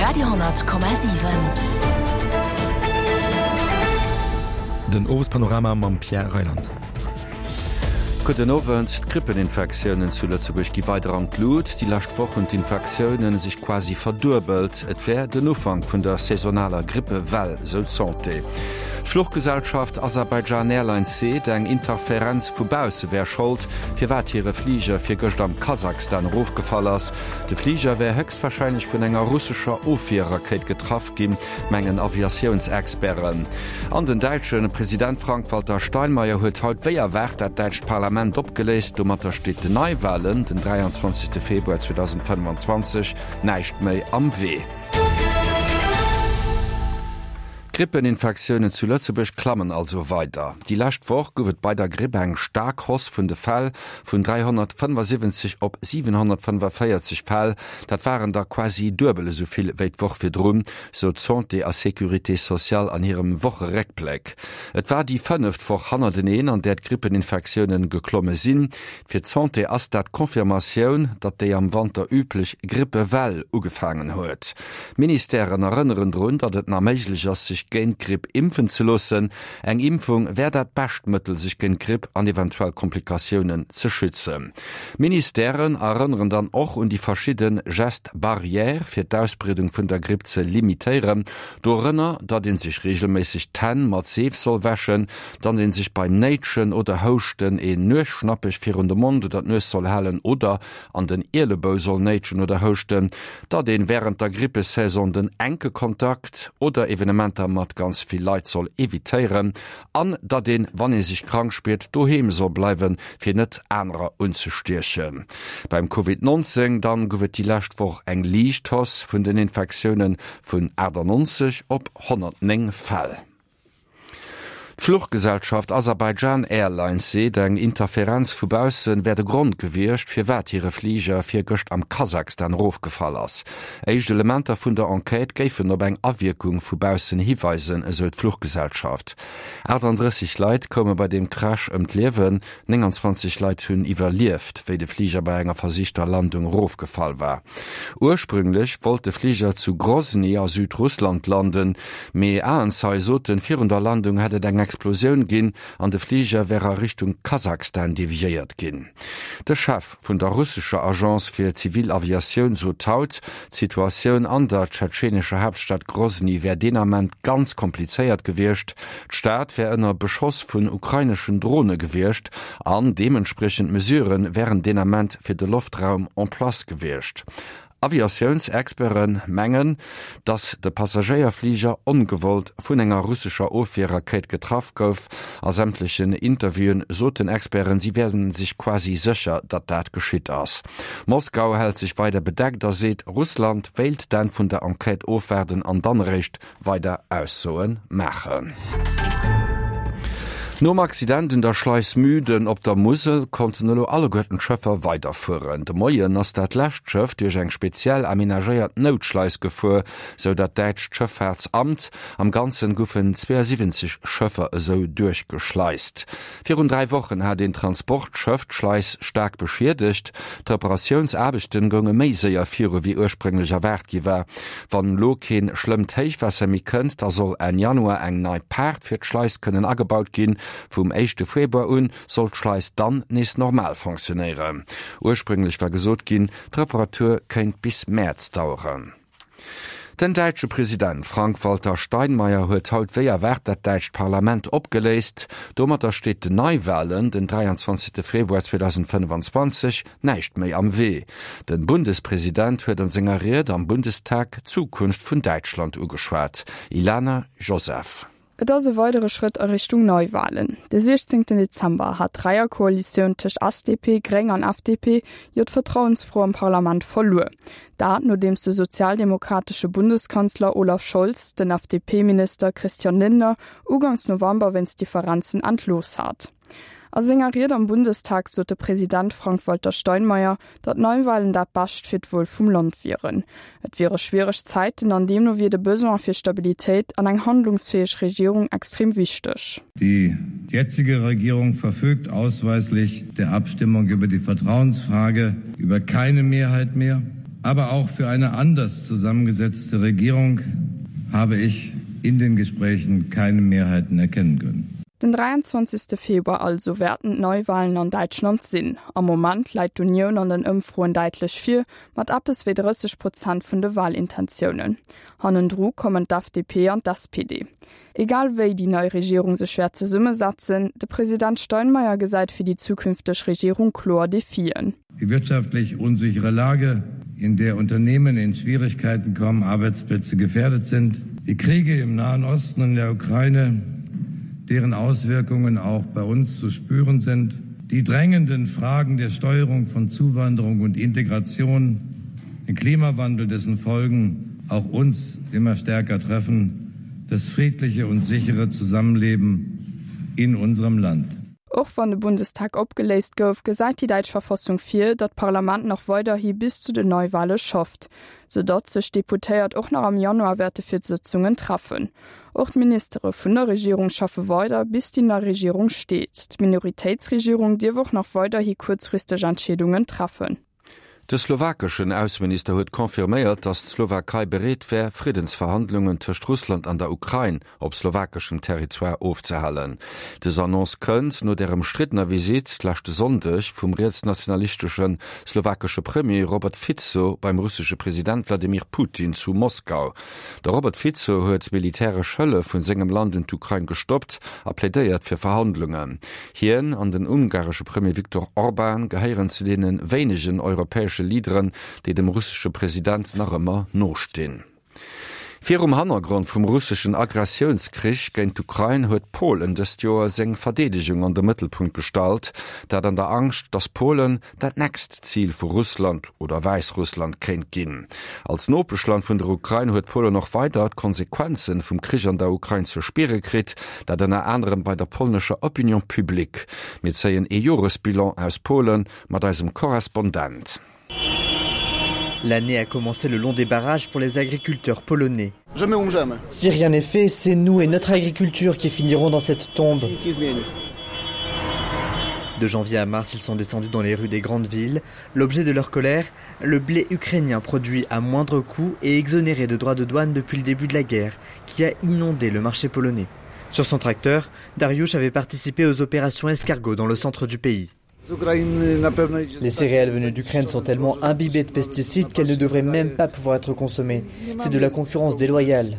Radio,7. Den Owespanorama mam Pierre Reyland. Gudden Owend. D'Grippeninfektiounen zu Lëtzebuerg gi weider an d'Lut. Déi lescht Woch hunn d'Infektioune sech quasi verduebelt. Et wär den Ufank vun der saisonaler Grippewell, sou d'Santé. D'Fluchgesellschaft Azerbaijan Airlines seet, eng Interferenz vu bausse wär Schold, firwat hire Fliger virgëscht am Kasachstan erofgefall ass. De Fliger wär héchstwarscheinlech vun enger russescher Ofwierrakéit getraff ginn, mengen Aviatiounsexperten. An den däitsche President Frank-Walter Steinmeier huet haut wéi erwaart dat däitscht Parlament opgeléist. Domatter steet den Neiwalen den 23 Februar 2025 näischt méi am Wee. D'Grippeninfektiounen zu Lëtzebuerg klammen also weider. Déi lescht Woch gouf et bei der Gripp eng staark Hausse vun de Fäll, vun 375 op 745 Fäll. Dat waren der quasi duebel esou vill wéi d'Woch virdrun, sou d'Santé a Sécurité sociale an hirem Wocheréckbléck. Et war déi fënneft Woch hannerteneen, an där d'Grippeninfektiounen geklomme sinn. Fir d'Santé ass dat d'Confirmatioun, datt déi am Wanter üblech Grippewell ugefaangen huet. D'Ministèren erënneren drun, datt et nach méiglech ass, sech géint d'Gripp impfen ze loossen. Eng Impfung wär dat bescht Mëttel, sech géint d'Gripp an eventuell Komplikatiounen ze schützen. D'Ministèren erënneren dann och un déi verschidde Gestes barrières, fir d'Ausbreedung vun der Gripp ze limitéieren. Dorënner, datt ee sech reegelméisseg d'Hänn mat Seef soll wäschen, Datt een sech beim Néitschen oder Houschten een Nuesschnappech virun de Mond oder d'Nues soll halen oder an den Ielebou soll néitschen oder houschten. Datt een wärend der Grippesaison den enke Kontakt oder Evenementer mat ganz vill Leit soll evitéieren an datt een, wann ee sech krank spiert, doheem soll bleiwen, fir net anerer unzestiechen. Beim Covid 19 dann gouf et déi lescht Woch eng liicht Hausse vun den Infektiounen vun 98 op 109 Fäll. D'Fluchgesellschaft Azerbaijan Airlines seet, eng Interferenz vu bausse wär de Grond gewiescht, firwat hire Fliger virgëscht am Kasachstan erofgefall ass. Éischt Elementer vun der Enquête géifen op eng Awierkung vu baussen hiweisen, esou d'Fluchgesellschaft. 38 Leit koume bei deem Crash ëm d'Liewen, 29 Leit hunn iwwerlieft, wéi de Fliger bei enger versichter Landung erofgefall war. Ursprünglech wollt de Fliger zu Grosny a Südrussland landen, mee Aenzeie soten, virun der Landung hätt et eng Explosioun ginn an de Fliger wär a Richtung Kasachstan deviéiert ginn. De Chef vun der russescher Agence fir zivil Aviatioun sot haut, d'Situatioun an der tschetschenescher Haaptstad Grosny wär deen Ament ganz komplizéiert gewiescht. D'Stad wär ënner Beschoss vun ukraineschen Drone gewiescht an deementspriechend Mesurë wären deen Ament fir de Loftraum en place gewiescht. Aviatiounsexperte mengen, datt de Passagéierfliger ongewollt vun enger russescher Ofwierrakéit getraff gouf. A sämtlechen Interviewen soten Experten, si wäre sech quasi sécher, datt dat geschitt ass. Moskau hält sech weider bedeckt a seet, Russland wéilt d'Enn vun der Enquête ofwaarden an dann eréischt weider Aussoe maachen. Nom Accident un der Schleis Müden op der Musel konnten elo alleguerten d'Schëffer weiderfueren. De Moien ass dat lescht Schëff duerch eng speziell amenagéiert Noutschleis gefuer, sou dat däitscht Schëffaartsamt. Am Ganzen goufen 72 Schëffer esou duerchgeschleist. Virun 3 Wochen hat een Transportschëff d'Schleis staark beschiedegt. D'Reparatiounsaarbechten gounge méi séier viru wéi ursprénglech erwaart gi war. Wann elo keen schlëmmt Héichwaasser méi kënnt, da soll Enn Januar eng nei Paart fir d'Schleis kënnen agebaut ginn. Vum éischte Februar un soll d'Schleis dann nees normal fonctionnéieren. Ursprénglech war gesot ginn, d'Reparatur kéint bis Mäerz daueren. Den däitsche President Frank-Walter Steinmeier huet haut wéi erwaart dat däitscht Parlament opgeléist. Domatter steet den Neiwalen den 23 Februar 2025 näischt méi am Wee. Den Bundespresident huet an senger Ried am Bundestag d'Zukunft vun Däitschland ugeschwat. Ilana Joseph. Et ass e weidere Schrëtt a Richtung Neiwalen. De 16 Dezember hat d'Dräierkoalitioun tëscht SDP, Gréng an FDP jo d'Vertrauensfro am Parlament verluer. Dat nodeems de sozialdemokratesche Bundeskanzler Olaf Scholz den FDP-Minister Christian Lindner ugangs November wéinst Differenzen entlooss hat. A senger Ried am Bundestag sot de President Frank-Walter Steinmeier, datt Neiwalen dat Bescht fir d'Wuel vum Land wieren. Et wiere schwiereg Zäiten an deemno wier de Besoin fir Stabilitéit an eng handlungsfäeg Regierung extrem wichteg. Die jetzige Regierung verfügt ausweislich der Abstimmung über die Vertrauensfrage über keine Mehrheit mehr. Aber auch für eine anders zusammengesetzte Regierung habe ich in den Gesprächen keine Mehrheiten erkennen können. Den 23. Februar also wäerten d'Neiwalen an Däitschland sinn. Am Moment läit d'Unioun an den Ëmfroen däitlech vir, mat eppes wéi 30 Prozent vun de Walintentiounen. Hannendru kommen d'FDP an d'SPD. Egal wéi déi nei Regierung sech wäert zesummesetzen, de President Steinmeier gesäit fir déi zukünfteg Regierung kloer Defien. Die wirtschaftlich unsichere Lage, in der Unternehmen in Schwierigkeiten kommen, Arbeitsplätze gefährdet sind, die Kriege im Nahen Osten und in der Ukraine, deren Auswirkungen auch bei uns zu spüren sind, die drängenden Fragen der Steuerung von Zuwanderung und Integration, den Klimawandel, dessen Folgen auch uns immer stärker treffen, das friedliche und sichere Zusammenleben in unserem Land. Och wann de Bundestag opgeléist gouf, gesäit déi däitsch Verfassung vir, datt d'Parlament nach weiderhi bis zu den Neiwale schafft, sou datt sech d'Deputéiert och nach am Januar wäerte fir d'Sëtzungen treffen. Och d'Ministere vun der Regierung schaffe weider, bis déi nei Regierung steet. D'Minoritéitsregierung dierf och nach weiderhi kuerzfristeg Entscheedungen treffen. De slowakeschen Ausseminister huet confirméiert, datt d'Slowakei bereet wär, Friddensverhandlungen tëscht Russland an der Ukrain op slowakeschem Territoire ofzehalen. Dës Annonce kënnt no der ëmstriddener Visitt leschte Sonndeg vum rietsnationalistesche slowakesche Premier Robert Fico beim russesche President Wladimir Putin zu Moskau. De Robert Fico huet militäresch Hëllef vun sengem Land un d'Ukrain gestoppt a plädéiert fir Verhandlungen. Hien an den ungaresche Premier Viktor Orban gehéieren zu deene wéinegen europäesche Leaderen, déi dem russesche President nach ëmmer nostinn. Virum Hannergrond vum russeschen Agressiounskrich géint d'Ukrain huet Polen dëst Joer seng Verdeedegung an de Mëttelpunkt gestallt, dat an der Angscht, datt Polen dat nächst Zil vu Russland oder Wäissrussland kéint ginn. Als Nopeschland vun der Ukrain huet Polen och weider d'Konsequenzen vum Krich an der Ukrain ze spiere kritt, dat ënner anerem bei der polnescher Opinion publique. Mir zéien ee Joresbilan aus Polen mat eisem Korrespondent. L'année a commencé le long des barrages pour les agriculteurs polonais. Si rien n'est fait, c'est nous et notre agriculture qui finiront dans cette tombe. De janvier à mars, ils sont descendus dans les rues des grandes villes. L'objet de leur colère, le blé ukrainien produit à moindre coût et exonéré de droits de douane depuis le début de la guerre, qui a inondé le marché polonais. Sur son tracteur, Dariush avait participé aux opérations escargots dans le centre du pays. Les céréales venues d'Ukraine sont tellement imbibées de pesticides qu'elles ne devraient même pas pouvoir être consommées. C'est de la concurrence déloyale.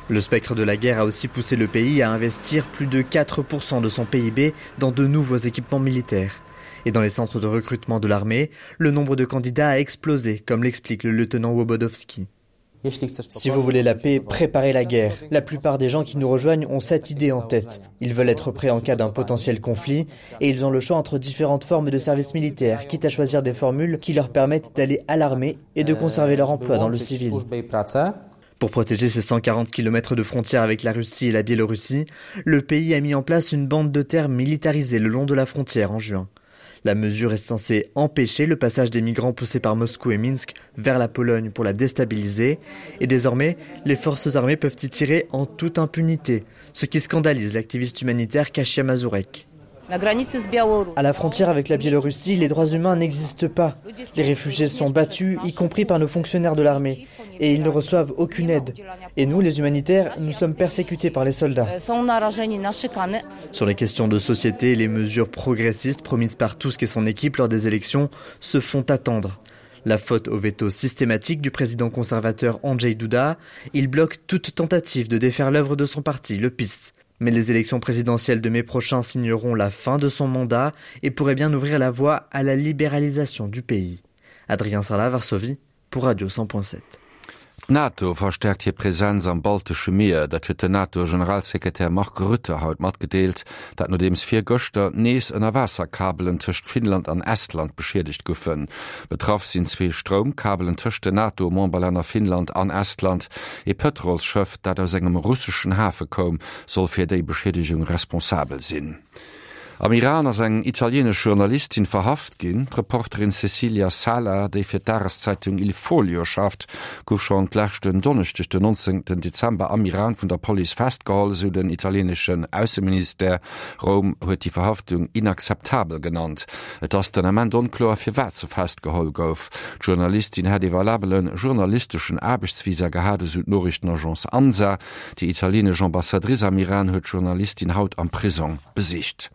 Le spectre de la guerre a aussi poussé le pays à investir plus de 4% de son PIB dans de nouveaux équipements militaires. Et dans les centres de recrutement de l'armée, le nombre de candidats a explosé, comme l'explique le lieutenant Wobodowski. Si vous voulez la paix, préparez la guerre. La plupart des gens qui nous rejoignent ont cette idée en tête. Ils veulent être prêts en cas d'un potentiel conflit et ils ont le choix entre différentes formes de services militaires, quitte à choisir des formules qui leur permettent d'aller à l'armée et de conserver leur emploi dans le civil. Pour protéger ses 140 km de frontières avec la Russie et la Biélorussie, le pays a mis en place une bande de terre militarisée le long de la frontière en juin. La mesure est censée empêcher le passage des migrants poussés par Moscou et Minsk vers la Pologne pour la déstabiliser et désormais les forces armées peuvent y tirer en toute impunité, ce qui scandalise l'activiste humanitaire Kasia Mazurek. À la frontière avec la Biélorussie, les droits humains n'existent pas. Les réfugiés sont battus, y compris par nos fonctionnaires de l'armée, et ils ne reçoivent aucune aide. Et nous, les humanitaires, nous sommes persécutés par les soldats. Sur les questions de société, les mesures progressistes promises par Tusk et son équipe lors des élections se font attendre. La faute au veto systématique du président conservateur Andrzej Duda, il bloque toute tentative de défaire l'œuvre de son parti, le PiS. Mais les élections présidentielles de mai prochain signeront la fin de son mandat et pourraient bien ouvrir la voie à la libéralisation du pays. Adrien Sala, Varsovie, pour Radio 100.7. D'NATO verstäerkt hir Presenz am baltesche Mier. Dat huet den NATO-Generalsekretär Mark Rutte haut matgedeelt. Dat nodeems virgëschter nees Ënnerwaasserkabelen tëscht Finnland an Estland beschiedegt goufen. Betraff sinn zwee Stroumkabelen tëscht den NATO-Memberlänner Finnland an Estland. Ee Pëtrolsschëff, dat aus engem russeschen Hafe koum, soll fir déi Beschiedegung responsabel sinn. Am Iran ass eng italieenesch Journalistin verhaft ginn. D'Reporterin Cecilia Sala, déi fir d'Dageszeitung Il Foglio schafft, gouf schonn d'leschten Donneschdeg, den 19 Dezember, am Iran vun der Police festgeholl, esou den italieeneschen Ausseministère. Roum huet déi Verhaftung inakzeptabel genannt. Et ass den Ament onkloer, firwat se festgeholl gouf. D'Journalistin hätt ee valabele journalisteschen Aarbechtsvisa gehat, esou d'Noriichtenagence Ansa. Déi italienesch Ambassadrice am Iran huet d'Journalistin haut am Prisong besicht.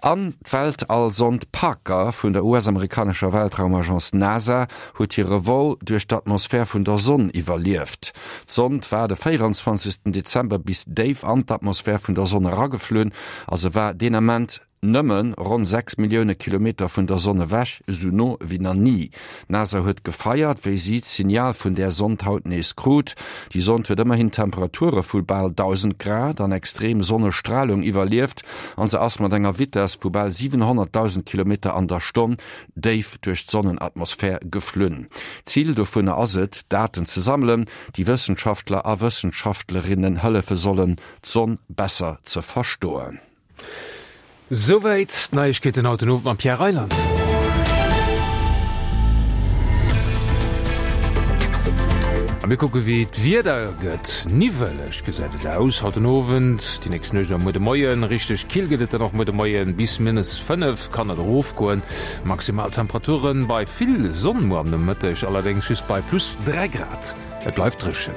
An d'Weltallsond Parker vun der US-amerikanescher Weltraumagence NASA huet hire Vol duerch d'Atmosphär vun der Sonn iwwerlieft. D'Sond war de 24. Dezember bis déif an d'Atmosphär vun der Sonn erageflunn a se war deen Ament Nëmme ronn 6 Millioune Kilometer vun der Sonn ewech, esou no wéi na ni. D'NASA huet gefeiert, wéi si d'Signal vun där Sond haut nees krut. Déi Sond huet ëmmerhin Temperature vu bal 1.000 Grad an extrem Sonnestralung iwwerlieft an se ass mat enger Vitess vu bal 700.000 Kilometer an der Stonn déif duerch d'Sonnenatmosphär geflunn. Zil dovunner ass et, Daten ze sammelen, déi Wëssenschaftler a Wëssenschaftlerinnen hëllefe sollen, d'Sonn besser ze verstoen. Souwäit d'Neiegkeeten haut den Owend mam Pierre Reyland. A mir kucke wéi d'Wieder gëtt. Niwweleg gesäit et aus haut den Owend, déi nächst Nuecht a muer de Moien. Richteg kill gëtt et dann och muer de Moien, bis minus 5 kann et erofgoen. Maximal Temperature bei vill Sonn muer am Nomëtteg allerdéngs just bei plus 3 Grad. Et bleift dréchen.